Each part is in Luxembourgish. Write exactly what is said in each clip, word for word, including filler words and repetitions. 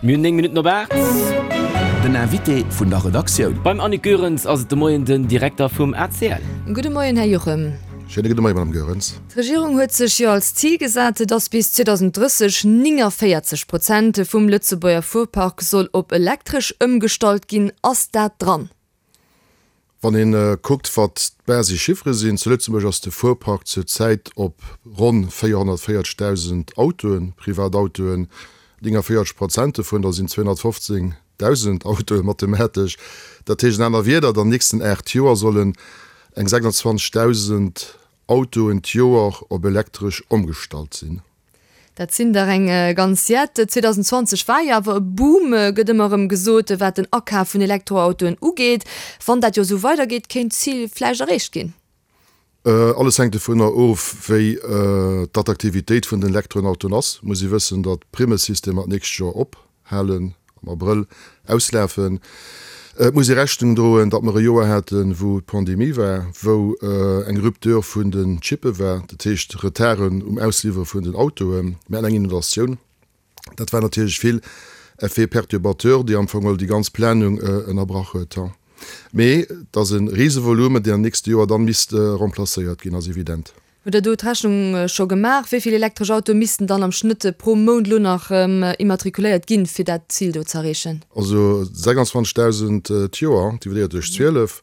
Mir hunn néng Minutten op aacht. Den Invité vun der Redaktioun. Beim Annick Goerens ass et de Moien den Direkter vum A C L. Gudde Moien, Här Juchem. Schéine gudde Moien, Madame Goerens. D'Regierung huet sech jo als Zil gesat, datt bis zweedausendrësseg néngavéierzeg Prozent vum Lëtzebuerger Fuerpark soll op elektresch ëmgestallt ginn. Ass dat dran? Wann een kuckt, wat d'Basichiffere sinn, zu Lëtzebuerg ass de Fuerpark zur Zäit op ronn véierhonnertvéierzegdausend Autoen, Privatautoen, néngavéierzeg Prozent dovun, dat sinn zweehonnertfofzéngdausend Autoen mathematesch. Dat heescht an aner Wierder, an den nächsten aacht Joer sollen eng sechsundzwanzegdausend Autoen d'Joer op elektresch ëmgestallt sinn. Dat sinn der eng ganz Jett. zweedausendzwanzeg war jo awer e Boom, gëtt ëmmer erëm gesot, wat den Akaf vun Elektroautoen ugeet. Wann dat jo esou weidergeet, kéint d'Zil vläicht erreecht ginn. Alles hänkt dovunner of, wéi d'Attraktivitéit vun den Elektroautoen ass. Muss ee wëssen, datt d'Primmesystemer d'nächst Joer ophalen, am Abrëll auslafen. Et muss ee Rechnung droen, datt mer e Joer haten, wou d'Pandemie war, wou eng Rupture vun den Chippe war, dat heescht Retarden um Ausliwwere vun den Autoen, mir haten eng Inondatioun. Dat war natierlech vill Effets perturbateurs, déi am Fong geholl déi ganz Planung ënnerbrach huet. Mee et ass e Risevolumen, deen am nächste Joer dann misst remplacéiert ginn, ass evident. Hutt Der do d'Rechnung scho gemaach, wéi vill elektresch Autoe missten dann am Schnëtt pro Mount elo nach immatrikuléiert ginn, fir dat Zil do z'erreechen? Also sechsundzwanzegdausend d'Joer dividéiert duerch zwielef,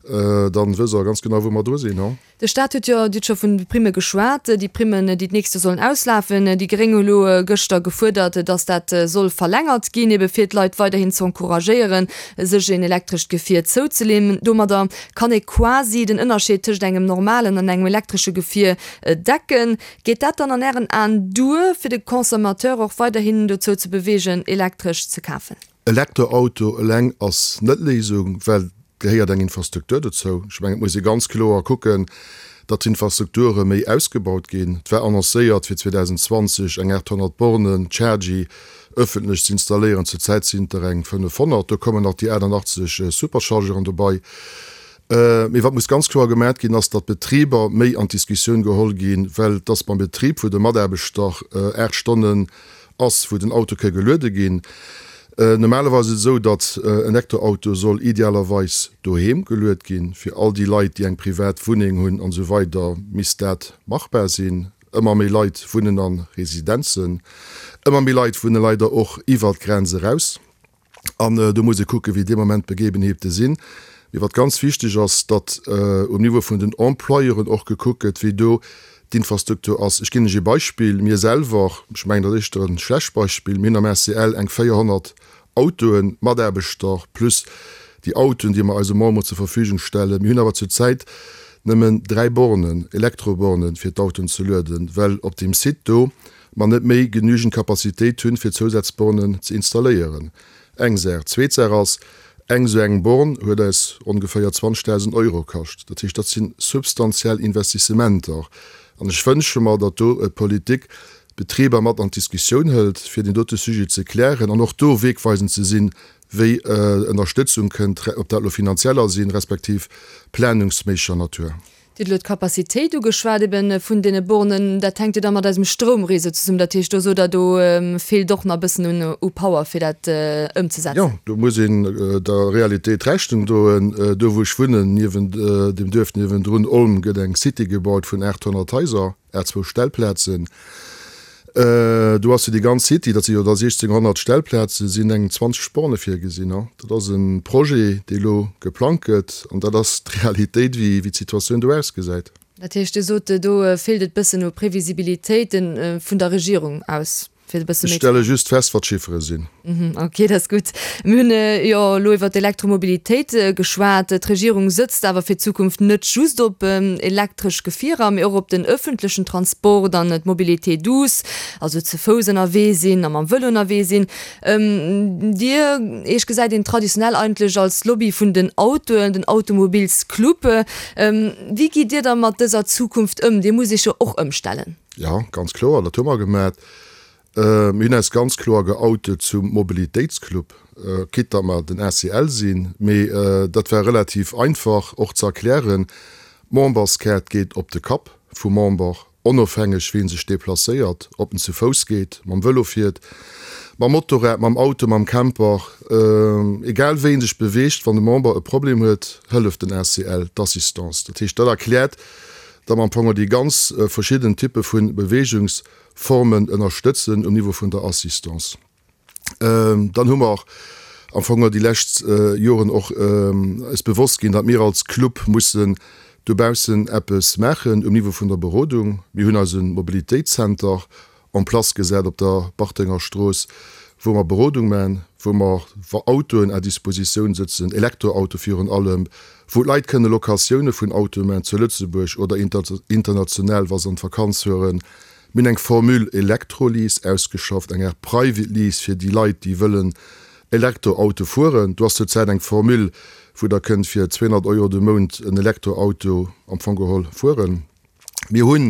dann wësst Der ganz genau, wou mer dru sinn. De Staat huet jo, Dir hutt scho vun de Primme geschwat, déi Primmen, déi d'nächst Joer sollen auslafen. Déi Gréng hu elo gëschter gefuerdert, datt dat soll verlängert ginn, ebe fir d'Leit weiderhin ze encouragéieren, sech een elektrescht Gefier zouzeleeën. Domadder kann ee quasi den Ënnerscheed tëscht engem normalen an engem elektresche Gefier decken. Geet dat dann an Ären Aen duer, fir de Consommateur och weiderhin dozou ze beweegen, elektresch ze kafen? Elektroauto eleng ass net d'Léisung, well et gehéiert eng Infrastruktur dozou. Ech mengen, et muss ee ganz kloer kucken, datt d'Infrastrukture méi ausgebaut ginn. Et war annoncéiert, fir zweedausendzwanzeg eng aathonnert Bornen Chargy ëffentlech ze installéieren. Zurzäit sinn et der eng fënnefhonnert. Do kommen nach déi aachtandachtzeg Superchargeren dobei. Mee wat muss ganz kloer gemat ginn, ass, datt d'Betriber méi an d'Diskussioun geholl ginn, well et ass beim Betrib, wou de Mataarbechter aacht Stonnen ass, wou den Auto ka geluede ginn. Normalerweis ass et esou, datt en Elektroauto soll idealerweis doheem geluet ginn. Fir all déi Leit, déi eng privat Wunneng hunn an esou weider, misst dat machbar sinn. Ëmmer méi Leit wunnen a Residenzen. Ëmmer méi Leit wunne leider och iwwer d'Grenz eraus. An do muss ee kucken, wéi dee Moment d'Begebenheete sinn. Mee wat ganz wichteg ass, datt um Niveau vun den Employeuren och gekuckt gëtt, wéi do d'Infrastruktur ass. Ech ginn lech ee Beispill, Mir selwer, ech mengen, dat ass éischter e schlecht Beispill, mir hunn am A C L eng véierhonnert Autoen, Mataarbechter plus déi Autoen, déi mer eise Memberen zur Verfügung stellen. Mir hunn awer zurzäit nëmmen dräi Bornen, Elektrobornen, fir d'Autoen ze lueden, well op deem Site do mer net méi genügend Capacitéit hunn, fir Zousazbornen ze installéieren. Eng Saach. Zweet Saach ass, eng esou eng Born huet eis ongeféier zwanzegdausend Euro kascht. Dat heescht, dat si substantiell Investissementer. An ech wënsche mer, datt do d'Politik d'Betriber mat an d'Diskussioun hëlt, fir deen dote Sujet ze klären an och do wegweisend ze sinn, wéi Ënnerstëtzung kënnt, ob dat elo finanzieller sinn, respektiv planungsméisseger Natur. Dir hutt elo d'Capacitéit ugeschwat ebe vun deene Bornen. Dat hänkt jo da mat eisem Stroumreseau zesummen. Dat heescht, do sot Der, do feelt och nach e bëssen u Power, fir dat ëmzesetzen. Jo, do muss een der Realitéit Rechnung droen. Do wou ech wunnen, niewent dem Duerf niewendrun, Olm, gëtt eng City gebaut vun aathonnert Haiser, à zwou Stellplazen. Do ass fir déi ganz City, dat si jo da siechzehnhonnert Stellplazen, sinn eng zwanzeg Borne virgesinn. Dat ass e Projet, dee elo geplangt gëtt, an dat ass d'Realitéit, wéi d'Situatioun do ausgesäit. Dat heescht, Dir sot, do feelt et bëssen u Previsibilitéit vun der Regierung aus, fir e bësse Ech méi. stelle just fest, wat d'Chiffere sinn. Ok, dat ass gutt. Mir hunn jo elo iwwer d'Elektromobilitéit geschwat. D'Regierung sëtzt awer fir d'Zukunft net just op elektresch Gefierer, mee och op den ëffentlechen Transport an d'Mobilité douce, also ze Fouss ënnerwee sinn a mam Vëlo ënnerwee sinn. Dir, Iech gesäit een traditionell eigentlech als Lobby vun den Autoen, den Automobilsclub. Wéi gitt Dir da mat dëser Zukunft ëm? Dir musst Iech jo och ëmstellen. Jo, ganz kloer, dat hu mer gemat. Mir hunn eis ganz kloer geoutet zum Mobilitéitsclub, quitte datt mer den A C L sinn, mee dat war relativ einfach och ze erklären. D'Memberskaart geet op de Kapp vum Member, onofhängeg wéi en sech deplacéiert, ob en zu Fouss geet, mam Vëlo fiert, Mam Motorrad, mam Auto, mam Camper, egal wéi een sech beweegt, wann e Member e Problem huet, hëlleft den A C L, d'Assistance. Dat heescht, dat erkläert, datt mer am Fong déi ganz verschidden Typpe vu Beweegungsformen ënnerstëtzen um Niveau vun der Assistance. Dann hu mer am Fong déi lescht Joren och eis bewosst ginn, datt mir als Club mussen dobaussen eppes maachen um Niveau vun der Berodung. Mir hunn eise Mobilitéitszenter en place gesat op der Bartenger Strooss, wou mer Berodung man, wou mer Autoen à Dispositioun sëtzen, Elektroauto virun allem, wou d'Leit kënne Locatioune vun Autoe man zu Lëtzebuerg oder international, wa se an d'Vakanz fueren. Mir hunn eng Formule Elektrolease ausgeschafft, eng Art Private Lease fir déi Leit, déi wëllen Elektroauto fueren. Do ass zurzäit eng Formule, wou Der kënnt fir zweehonnert Euro de Mount en Elektroauto am Fong geholl fueren. Mir hu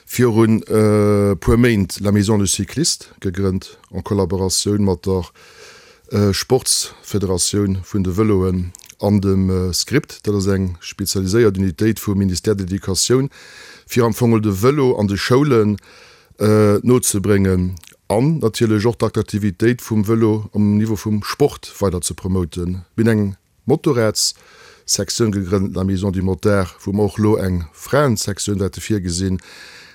virun e puer Méint la Maison du Cycliste gegrënnt en Collaboratioun mat der Sportsfederatioun vun de Vëloen an dem Script. Dat ass eng spezialiséiert Unitéit vum Ministère de l'Educatioun, fir am Fong de Vëlo an de Schoulen nozebréngen an natierlech och d'Attraktivitéit vum Vëlo um Niveau vum Sport weider ze promoten. Mir hunn eng Motorradssektioun gegrënnt, la Maison du Motard, wou mer och elo eng Fraensektioun wäerte virgesinn.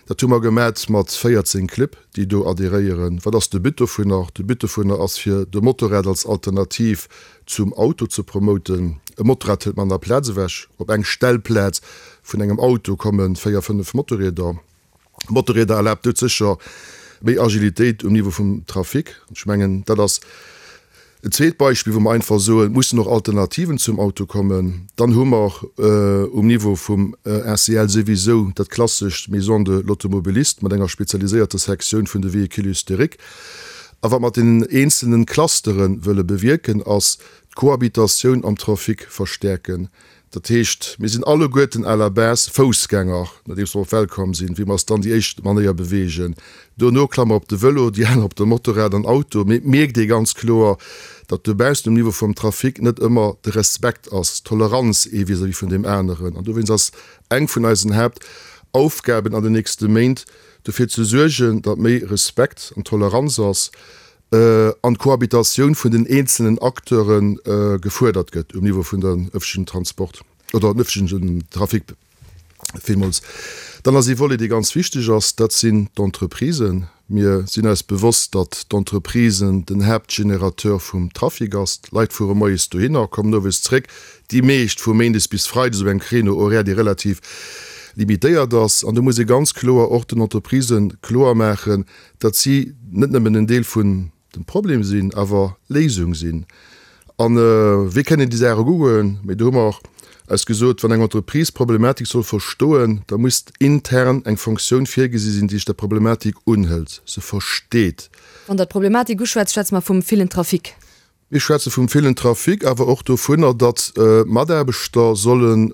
Dat hu mer gemat mat véierzéng Clibb, déi do adhéréieren. Wat ass de But dovunner? De But dovunner ass, fir de Motorrad als Alternativ zum Auto ze promoten. E Motorrad hëlt manner Plaz ewech. Op eng Stellplaz vun engem Auto komme véier, fënnef Motorrieder. Motorrieder erlaabt doudsécher méi Agilitéit um Niveau vum Trafic. Ech mengen, dat ass en zweet Beispill, wou mer einfach soen, et mussen och Alternativen zum Auto kommen. Dann hu mer um Niveau vum A C L souwisou dat klassescht Maison de l'Automobiliste mat enger spezialiséierter Sektioun vun de Véhicules historiques. A wat mer mat deenen eenzelne Clustere wëlle bewierken, ass d'Cohabitatioun am Trafic verstäerken. Dat heescht, mir sinn alleguerten à la base Foussgänger, nodeems mer op d'Welt komm sinn, wéi mer eis dann déi éischt Manéier beweegen. Dono klamme mer op de Vëlo, déi aner op de Motorrad an Auto. Mee et mierkt ee ganz kloer, datt dobaussen um Niveau vum Trafic net ëmmer de Respekt ass, d'Toleranz ee vis-à-vis vun deem aneren. An dowéinst ass eng vun eisen Haaptaufgaben an den nächste Méint, dofir ze suergen, datt méi Respekt an Toleranz ass an d'Cohabitatioun vun den eenzelnen Acteure gefuerdert gëtt um Niveau vun den ëffentlechen Transport oder den ëffentlechen Trafic. Villmools. Dann ass ee Volet, dee ganz wichteg ass, dat sinn d'Entreprisen. Mir sinn eis bewosst, datt d'Entreprisen den Haaptgenerateur vum Trafic ass. D'Leit fuere moies dohinner, kommen owes zréck, déi meescht vu méindes bis freides op engem Créneau horaire, dee relativ limitéiert ass. An do muss ee ganz kloer och den Entreprisë kloer maachen, datt si net nëmmen en Deel vun dem Problem sinn, awer Léisung sinn. A wéi kënnen déi Saache goen? Mee do hu mer eis gesot, wann eng Entreprise d'Problematik soll verstoen, da muss intern eng Fonctioun virgesi sinn, déi sech der Problematik unhëlt, se versteet. Wann Der d'Problematik uschwätzt, schwätze mer vum villen Trafic. Mir schwätze vum villen Trafic, awer och dovunner, datt Mataarbechter solle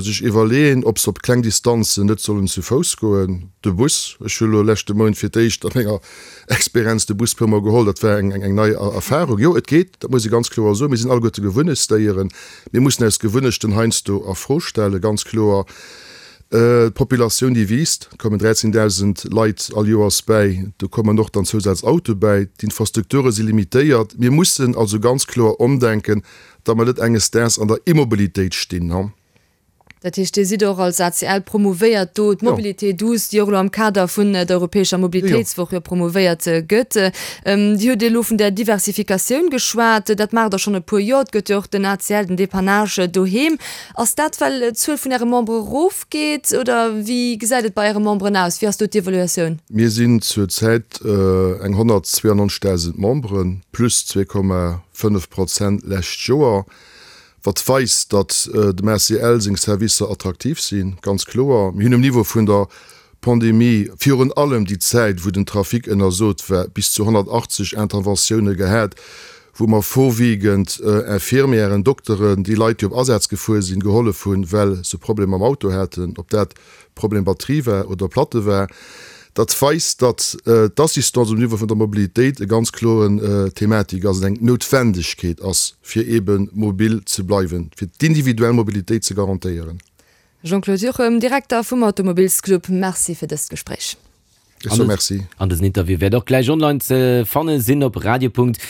sech iwwerleeën, ob se op kleng Distanzen net sollen zu Fouss goen. De Bus, ech hu lo leschte Mount fir d'éischt a menger Experienz de Bus puermol geholl, dat war eng nei Erfarung. Jo, et geet, dat muss ee ganz kloer soen. Mir sinn alleguerte Gewunneschtsdéieren. Mir mussen eis Gewunnechten heiansdo a Fro stellen, ganz kloer. D'Populatioun déi wiisst, et kommen dräizehndausend Leit all Joers bäi, do kommen och dann Zousazautoe bäi, d'Infrastrukture si limitéiert. Mir mussen also ganz kloer ëmdenken, datt mer net enges Daags an der Immobilitéit stinn. Dat heescht, Dir sidd och als A C L promouvéiert do d'Mobilité douce, déi och elo am Kader vun der europäescher Mobilitéitswoch jo promouvéiert gëtt. Dir hutt elo vun der Diversifikatioun geschwat, dat maacht Der schonn e puer Joer. Et gëtt jo och den A C L, den Dépannage doheem. Ass dat, well d'Zuel vun Äre Membere erofgeet oder wéi gesäit et bei Äre Memberen aus? Wéi ass do d'Evaluatioun? Mir sinn zur Zäit eng honnertzweeannonzegdausend Memberen, plus zwee Komma fënnef Prozent lescht Joer, wat weist, datt dem A C L seng Servicer attraktiv sinn, ganz kloer. Mir hunn um Niveau vun der Pandemie, virun allem déi Zäit, wou den Trafic ënnersot war, bis zu honnertachtzeg Interventioune gehat, wou mer vorwiegend Infirmièren, Dokteren, déi Leit, déi op Asätz gefuer sinn, gehollef hunn, well se Problemer mam Auto haten, ob dat Problem Batterie war oder Platte war. Dat weist, datt d'Assistance um Niveau vun der Mobilitéit e ganz kloren Thematik ass an eng Noutwendegkeet ass, fir eebe mobil ze bleiwen, fir d'individuell Mobilitéit ze garantéieren. Jean-Claude Juchem, Direkter vum Automobilsclub, Merci fir dëst Gespréich. Ech soe Merci. An dësen Interview wäert och gläich online ze fanne sinn op radio.rtl.lu.